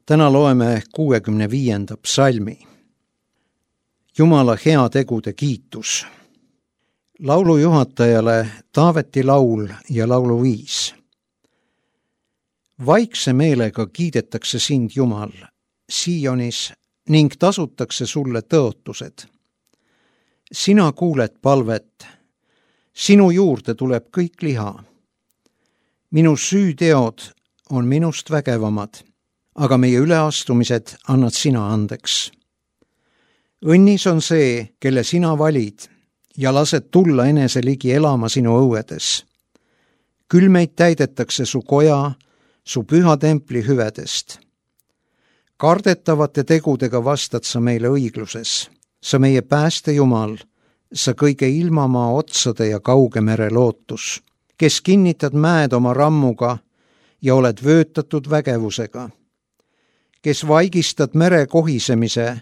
Täna loeme 65. psalmi. Jumala heategude kiitus. Laulujuhatajale Taaveti laul ja lauluviis. Vaikse meelega kiidetakse sind, Jumal, Sionis ning tasutakse sulle tõotused. Sina kuuled palvet, sinu juurde tuleb kõik liha. Minu süüteod on minust vägevamad, aga meie üleastumised annad sina andeks. Õnnis on see, kelle sina valid ja lased tulla enese ligi elama sinu õuedes. Küll meid täidetakse su koja, su püha templi hüvedest. Kardetavate tegudega vastad sa meile õigluses. Sa meie pääste Jumal, sa kõige ilmamaa otsade ja kauge mere lootus, kes kinnitad mäed oma rammuga ja oled vöötatud vägevusega, kes vaigistad mere kohisemise,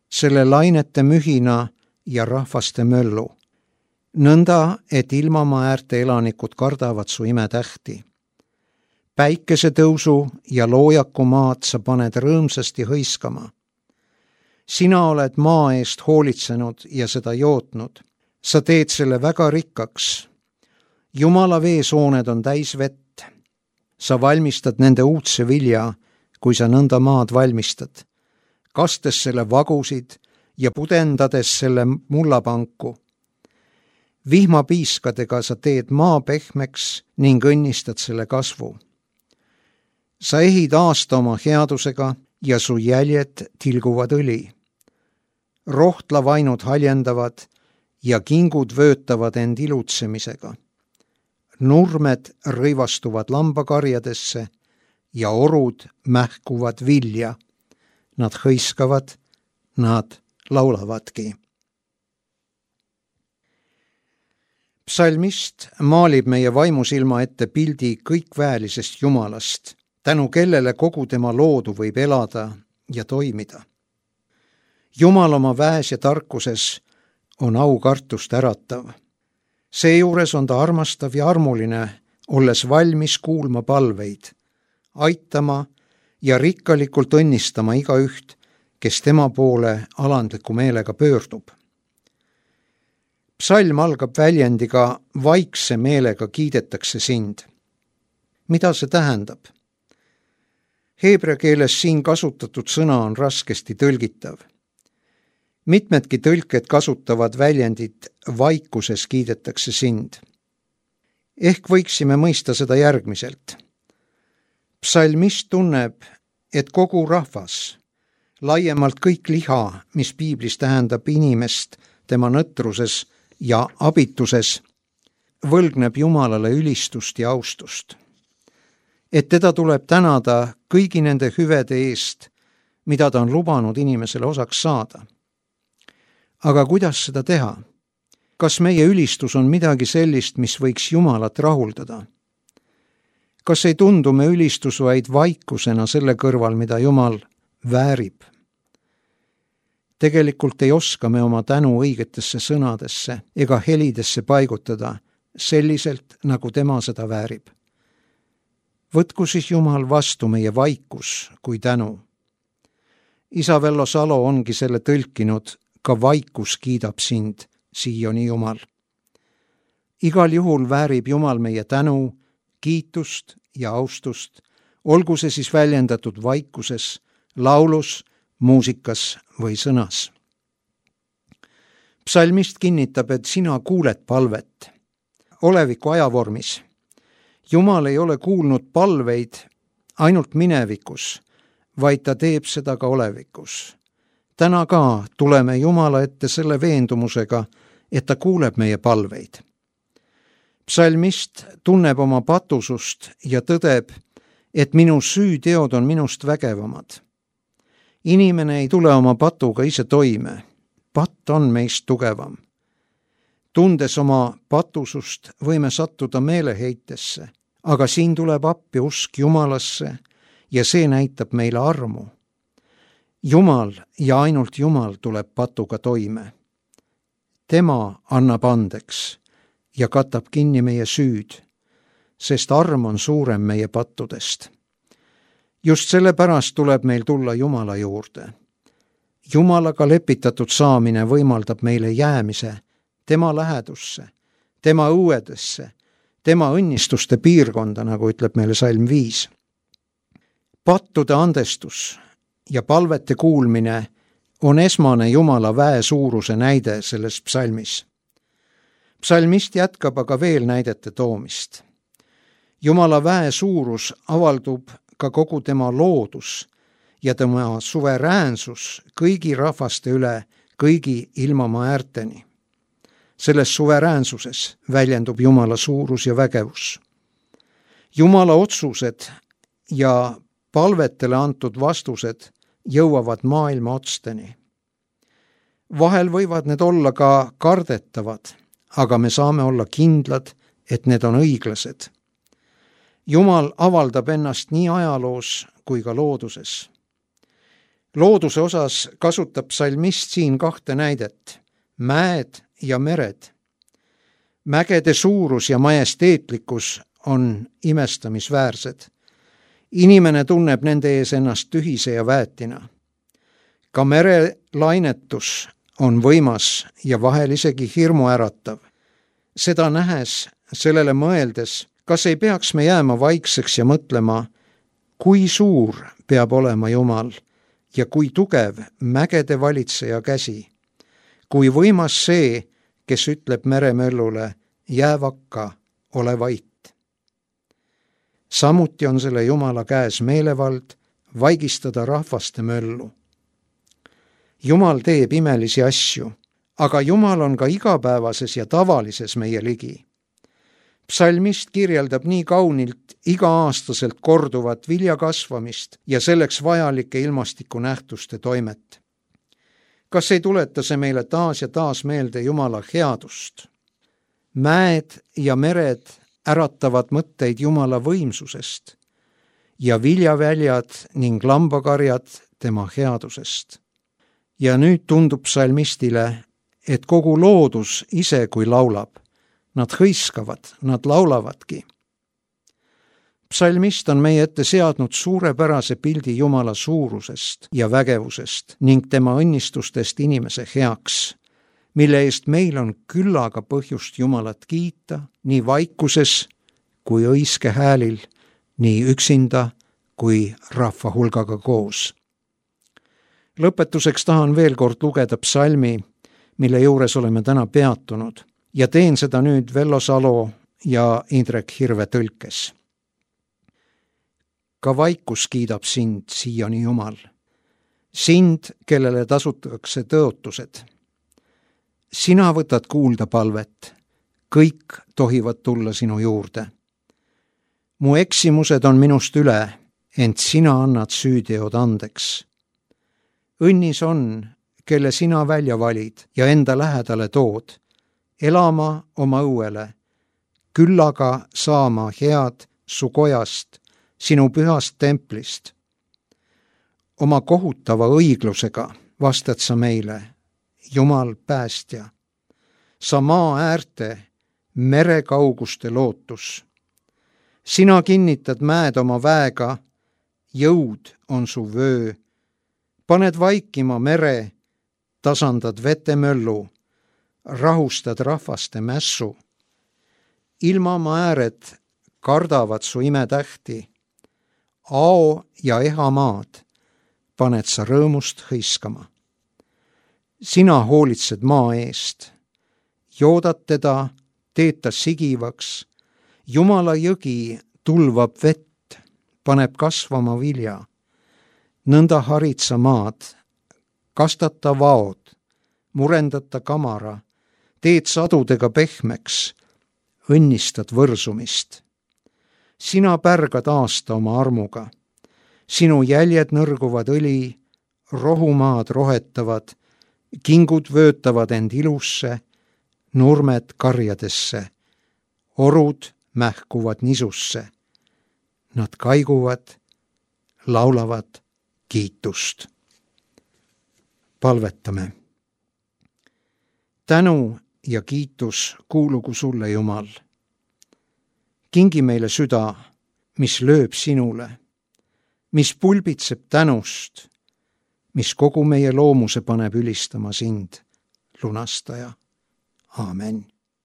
selle lainete mühina ja rahvaste möllu, nõnda, et ilmamaa äärte elanikud kardavad su imetähti. Päikesetõusu ja loojaku maad sa paned rõõmsasti hõiskama. Sina oled maa eest hoolitsenud ja seda jootnud. Sa teed selle väga rikkaks. Jumala veesooned on täis vett. Sa valmistad nende uudse vilja, kui sa nõnda maad valmistad, kastes selle vagusid ja pudendades selle mullapanku. Vihmapiiskadega sa teed maa pehmeks ning õnnistad selle kasvu. Sa ehid aasta oma headusega ja su jäljed tilguvad õli. Rohtlavainud haljendavad ja kingud vöötavad end ilutsemisega. Nurmed rõivastuvad lambakarjadesse ja orud mähkuvad vilja. Nad hõiskavad, nad laulavadki. Psalmist maalib meie vaimusilma ette pildi kõikväelisest Jumalast, tänu kellele kogu tema loodu võib elada ja toimida. Jumal oma väes ja tarkuses on aukartust äratav. Seejuures on ta armastav ja armuline, olles valmis kuulma palveid, aitama ja rikkalikult õnnistama igaüht, kes tema poole alandliku meelega pöördub. Psalm algab väljendiga vaikse meelega kiidetakse sind. Mida see tähendab? Heebrea keeles siin kasutatud sõna on raskesti tõlgitav. Mitmedki tõlked kasutavad väljendit vaikuses kiidetakse sind. Ehk võiksime mõista seda järgmiselt. Psalmist tunneb, et kogu rahvas, laiemalt kõik liha, mis piiblis tähendab inimest tema nõtruses ja abituses, võlgneb Jumalale ülistust ja austust. Et teda tuleb tänada kõigi nende hüvede eest, mida ta on lubanud inimesele osaks saada. Aga kuidas seda teha? Kas meie ülistus on midagi sellist, mis võiks Jumalat rahuldada? Kas ei tundu me ülistus vaid vaikusena selle kõrval, mida Jumal väärib? Tegelikult ei oska me oma tänu õigetesse sõnadesse ega helidesse paigutada selliselt, nagu tema seda väärib. Võtku siis Jumal vastu meie vaikus kui tänu. Isa Vello Salo ongi selle tõlkinud, ka vaikus kiidab sind, Sioni Jumal. Igal juhul väärib Jumal meie tänu, kiitust ja austust, olgu see siis väljendatud vaikuses, laulus, muusikas või sõnas. Psalmist kinnitab, et sina kuuled palvet. Oleviku ajavormis. Jumal ei ole kuulnud palveid ainult minevikus, vaid ta teeb seda ka olevikus. Täna ka tuleme Jumala ette selle veendumusega, et ta kuuleb meie palveid. Psalmist tunneb oma patusust ja tõdeb, et minu süüteod on minust vägevamad. Inimene ei tule oma patuga ise toime. Patt on meist tugevam. Tundes oma patusust võime sattuda meeleheitesse, aga siin tuleb appi usk Jumalasse ja see näitab meile armu. Jumal ja ainult Jumal tuleb patuga toime. Tema annab andeks ja katab kinni meie süüd, sest arm on suurem meie pattudest. Just sellepärast tuleb meil tulla Jumala juurde. Jumalaga lepitatud saamine võimaldab meile jäämise tema lähedusse, tema õuedesse, tema õnnistuste piirkonda, nagu ütleb meile salm 5. Pattude andestus ja palvete kuulmine on esmane Jumala väe suuruse näide selles psalmis. Psalmist jätkab aga veel näidete toomist. Jumala väe suurus avaldub ka kogu tema loodus ja tema suveräänsus kõigi rahvaste üle, kõigi ilmamaa äärteni. Selles suveräänsuses väljendub Jumala suurus ja vägevus. Jumala otsused ja palvetele antud vastused jõuavad maailma otsteni. Vahel võivad need olla ka kardetavad, aga me saame olla kindlad, et need on õiglased. Jumal avaldab ennast nii ajaloos kui ka looduses. Looduse osas kasutab psalmist siin 2 näidet, mäed ja mered. Mägede suurus ja majesteetlikkus on imestamisväärsed. Inimene tunneb nende ees ennast tühise ja väetina. Ka mere lainetus on võimas ja vahel isegi hirmuäratav. Seda nähes, sellele mõeldes, kas ei peaks me jääma vaikseks ja mõtlema, kui suur peab olema Jumal ja kui tugev mägede valitseja käsi, kui võimas see, kes ütleb meremöllule, jää vakka, ole vait. Samuti on selle Jumala käes meelevald vaigistada rahvaste möllu. Jumal teeb imelisi asju, aga Jumal on ka igapäevases ja tavalises meie ligi. Psalmist kirjeldab nii kaunilt iga-aastaselt korduvat vilja kasvamist ja selleks vajalike ilmastikunähtuste toimet. Kas ei tuleta see meile taas ja taas meelde Jumala headust? Mäed ja mered äratavad mõtteid Jumala võimsusest ja viljaväljad ning lambakarjad tema headusest. Ja nüüd tundub psalmistile, et kogu loodus ise kui laulab. Nad hõiskavad, nad laulavadki. Psalmist on meie ette seadnud suurepärase pildi Jumala suurusest ja vägevusest ning tema õnnistustest inimese heaks, mille eest meil on küllaga põhjust Jumalat kiita nii vaikuses kui õiske häälil, nii üksinda kui rahva hulgaga koos. Lõpetuseks tahan veel kord lugeda psalmi, mille juures oleme täna peatunud, ja teen seda nüüd Vello Salo ja Indrek Hirve tõlkes. Ka vaikus kiidab sind, Sioni Jumal, sind, kellele tasutakse tõotused. Sina võtad kuulda palvet, kõik tohivad tulla sinu juurde. Mu eksimused on minust üle, ent sina annad süüteod andeks. Õnnis on, kelle sina välja valid ja enda lähedale tood, elama oma õuele, küll aga saama head su kojast, sinu pühast templist. Oma kohutava õiglusega vastad sa meile, Jumal päästja. Sa maa äärte, mere kauguste lootus. Sina kinnitad mäed oma väega, jõud on su vöö. Paned vaikima mere, tasandad vetemöllu, rahustad rahvaste mässu. Ilmamaa ääred kardavad su imetähti. Ao ja ehamaad paned sa rõõmust hõiskama. Sina hoolitsed maa eest. Joodad teda, teed ta sigivaks. Jumala jõgi tulvab vett, paneb kasvama vilja. Nõnda harid sa maad, kastad ta vaod, murendad ta kamara, teed sadudega pehmeks, õnnistad võrsumist. Sina pärgad aasta oma armuga. Sinu jäljed nõrguvad õli, rohumaad rohetavad, kingud vöötavad end ilusse, nurmed karjadesse, orud mähkuvad nisusse. Nad kaiguvad, laulavad kiitust. Palvetame. Tänu ja kiitus kuulugu sulle, Jumal. Kingi meile süda, mis lööb sinule. mis pulbitseb tänust, mis kogu meie loomuse paneb ülistama sind, lunastaja. Aamen.